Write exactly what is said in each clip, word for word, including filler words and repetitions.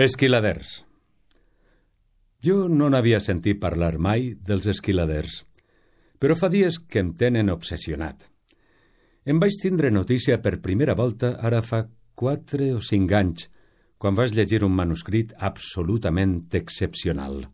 Esquiladers. Jo no n'havia sentit parlar mai dels esquiladers, però fa dies que em tenen obsessionat. Em vaig tindre notícia per primera volta ara fa quatre o cinc anys, quan vaig llegir un manuscrit absolutament excepcional.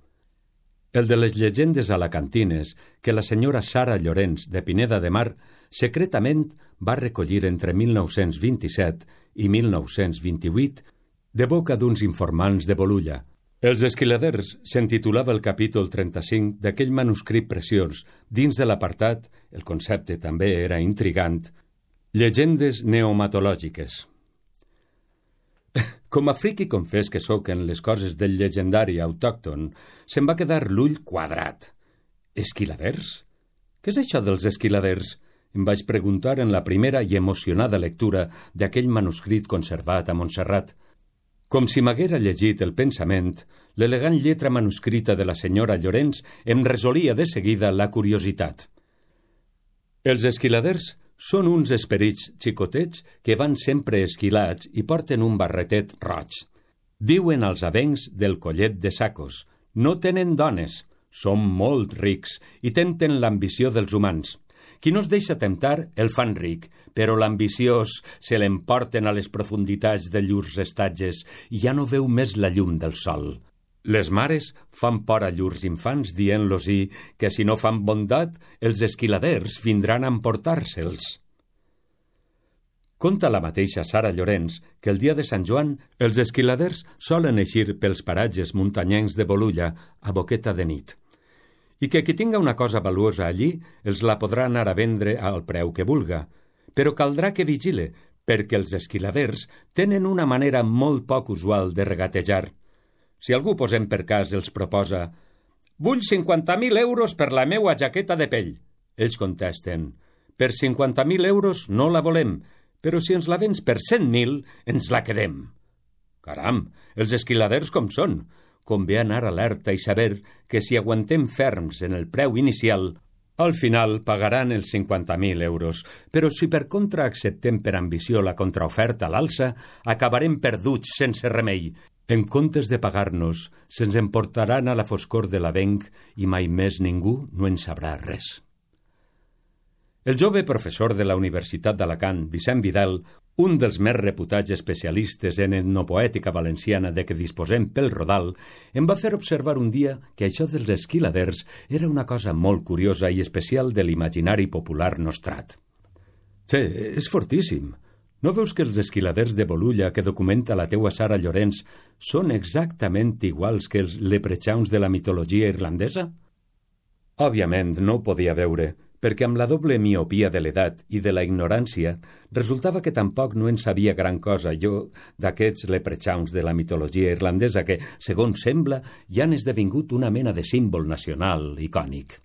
El de les llegendes alacantines que la senyora Sara Llorens de Pineda de Mar secretament va recollir entre mil nou-cents vint-i-set i mil nou-cents vint-i-vuit de boca d'uns informants de Bolulla. Els esquiladers s'intitulava el capítol trenta-cinc d'aquell manuscrit preciós. Dins de l'apartat, el concepte també era intrigant, llegendes neomatològiques. Com a friqui confés que sóc en les coses del llegendari autòcton, se'm va quedar l'ull quadrat. Esquiladers? Què és això dels esquiladers? Em vaig preguntar en la primera i emocionada lectura d'aquell manuscrit conservat a Montserrat. Com si m'haguera llegit el pensament, l'elegant lletra manuscrita de la senyora Llorens em resolia de seguida la curiositat. Els esquiladers són uns esperits xicotets que van sempre esquilats i porten un barretet roig. Viuen als avencs del Collet de Sacos. No tenen dones, són molt rics i tenten l'ambició dels humans. Qui no es deixa temptar el fan ric, però l'ambiciós se l'emporten a les profunditats de llurs estatges i ja no veu més la llum del sol. Les mares fan por a llurs infants dient-los-hi que si no fan bondat, els esquiladers vindran a emportar-se'ls. Conta la mateixa Sara Llorens que el dia de Sant Joan els esquiladers solen eixir pels paratges muntanyencs de Bolulla a boqueta de nit, i que qui tinga una cosa valuosa allí els la podrà anar a vendre al preu que vulga, però caldrà que vigile, perquè els esquiladers tenen una manera molt poc usual de regatejar. Si algú, posem per cas, els proposa «Vull cinquanta mil euros per la meua jaqueta de pell», ells contesten «Per cinquanta mil euros no la volem, però si ens la vens per cent mil, ens la quedem». Caram, els esquiladers com són! Convé anar alerta i saber que si aguantem ferms en el preu inicial, al final pagaran els cinquanta mil euros, però si per contra acceptem per ambició la contraoferta a l'alça, acabarem perduts sense remei. En comptes de pagar-nos, se'ns emportaran a la foscor de l'avenc i mai més ningú no en sabrà res. El jove professor de la Universitat d'Alacant, Vicent Vidal, un dels més reputats especialistes en etnopoètica valenciana de què disposem pel Rodal, em va fer observar un dia que això dels esquiladers era una cosa molt curiosa i especial de l'imaginari popular nostrat. Sí, és fortíssim. No veus que els esquiladers de Bolulla que documenta la teua Sara Llorens són exactament iguals que els leprechauns de la mitologia irlandesa? Òbviament no ho podia veure, perquè amb la doble miopia de l'edat i de la ignorància resultava que tampoc no en sabia gran cosa jo d'aquests leprechauns de la mitologia irlandesa que, segons sembla, ja han esdevingut una mena de símbol nacional icònic.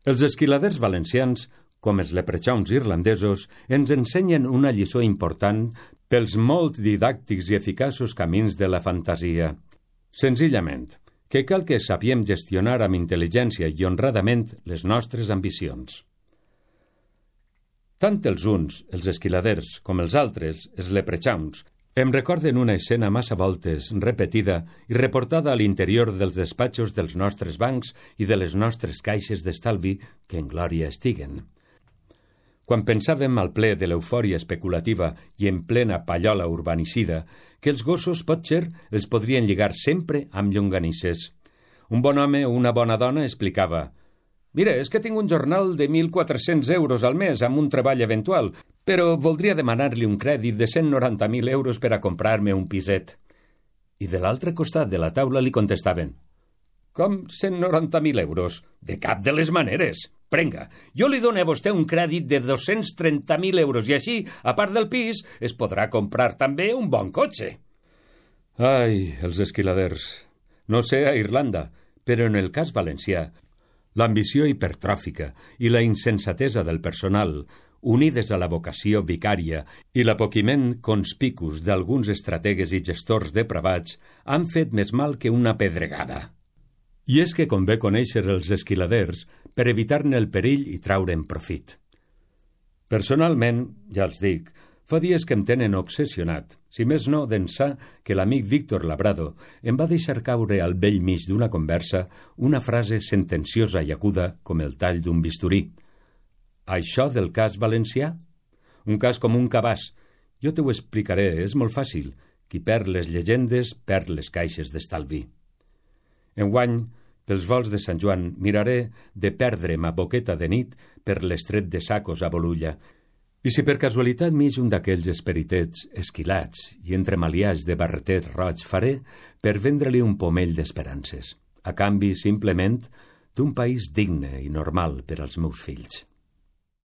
Els esquiladers valencians, com els leprechauns irlandesos, ens ensenyen una lliçó important pels molt didàctics i eficaços camins de la fantasia. Senzillament, que cal que sapiem gestionar amb intel·ligència i honradament les nostres ambicions. Tant els uns, els esquiladers, com els altres, els leprechauns, em recorden una escena massa voltes repetida i reportada a l'interior dels despatxos dels nostres bancs i de les nostres caixes d'estalvi que en glòria estiguen. Quan pensàvem al ple de l'eufòria especulativa i en plena pallola urbanicida, que els gossos, potser, els podrien lligar sempre amb llonganisses. Un bon home o una bona dona explicava «Mira, és que tinc un jornal de mil quatre-cents euros al mes amb un treball eventual, però voldria demanar-li un crèdit de cent noranta mil euros per a comprar-me un piset». I de l'altre costat de la taula li contestaven «Com cent noranta mil euros? De cap de les maneres! Prenga, jo li dono a vostè un crèdit de dos-cents trenta mil euros i així, a part del pis, es podrà comprar també un bon cotxe». Ai, els esquiladers. No sé a Irlanda, però en el cas valencià, l'ambició hipertròfica i la insensatesa del personal, unides a la vocació vicària i l'apoquiment conspicus d'alguns estrategues i gestors depravats, han fet més mal que una pedregada. I és que convé conèixer els esquiladers per evitar-ne el perill i traure'n profit. Personalment, ja els dic, Fa dies que em tenen obsessionat, si més no d'ençà que l'amic Víctor Labrado em va deixar caure al bell mig d'una conversa una frase sentenciosa i aguda com el tall d'un bisturí. Això del cas valencià? Un cas com un cabàs. Jo te ho explicaré, és molt fàcil. Qui perd les llegendes, perd les caixes d'estalvi. Enguany, pels volts de Sant Joan, miraré de perdre'm a boqueta de nit per l'estret de Sacos a Bolulla. I si per casualitat mig un d'aquells esperitets esquilats i entremaliats de barretet roig faré per vendre-li un pomell d'esperances, a canvi, simplement, d'un país digne i normal per als meus fills.